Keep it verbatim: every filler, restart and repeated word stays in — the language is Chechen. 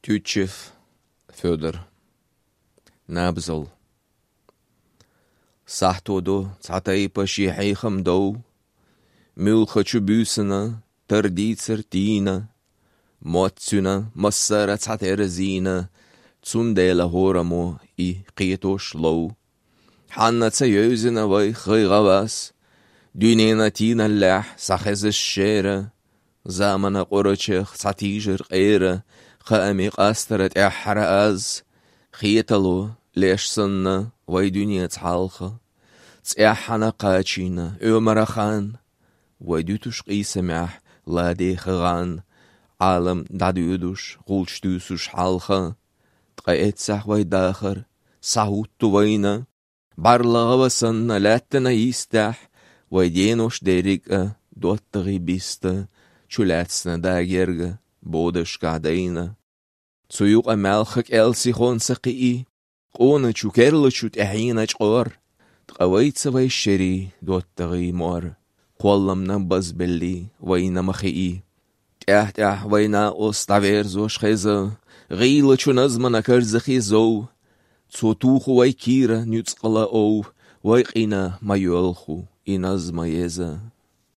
Тютчев Фёдор. Набзал. Сахьто до цхьа тайпа ший хьехам дов. Муьлххачу буьйсанна тардийцар тийна. Мотт цуьнан массара цхьатерра зийна, цундела хӀораммо и кхетош лов. Хьанна ца йовзина вай хай гӀавас, дуьненан тийналлехь схьахезаш шера, заманан къорачех схьатийжар къера, кхаамийн къастара тӀаьххьара аз, хетало леш санна вай дуьненца хьалха. ЦӀеххьана кхачийна Ӏумаран хан, вай дуьтуш къийсамехь ладеха гӀан, Ӏалам дӀадоьдуш, гӀулч дуьйсуш хьалха. Ткъа эццахь вай дахар схьахӀутту вайна, бӀарлагӀа ва санна лаьттана йистехь, вай денош дерриг а доттагӀий биста, чулаьцна дагерга бодашкахь дайна. Цу юкъа маьлха кӀел сихон ца кхиий, къоначу керлачу тӀаьхьийна чкъор, ткъа вайца вай шерий доттагӀий мор, кхолламна базбеллий вайна ма хиий. ТӀаьхь-тӀаьхь вай накъост дӀаверзош хеза, гӀийлачу назмана карзахий зов. Цо туху вай кийра нуьцкъала ов, вай къина ма йоьлху и назма еза.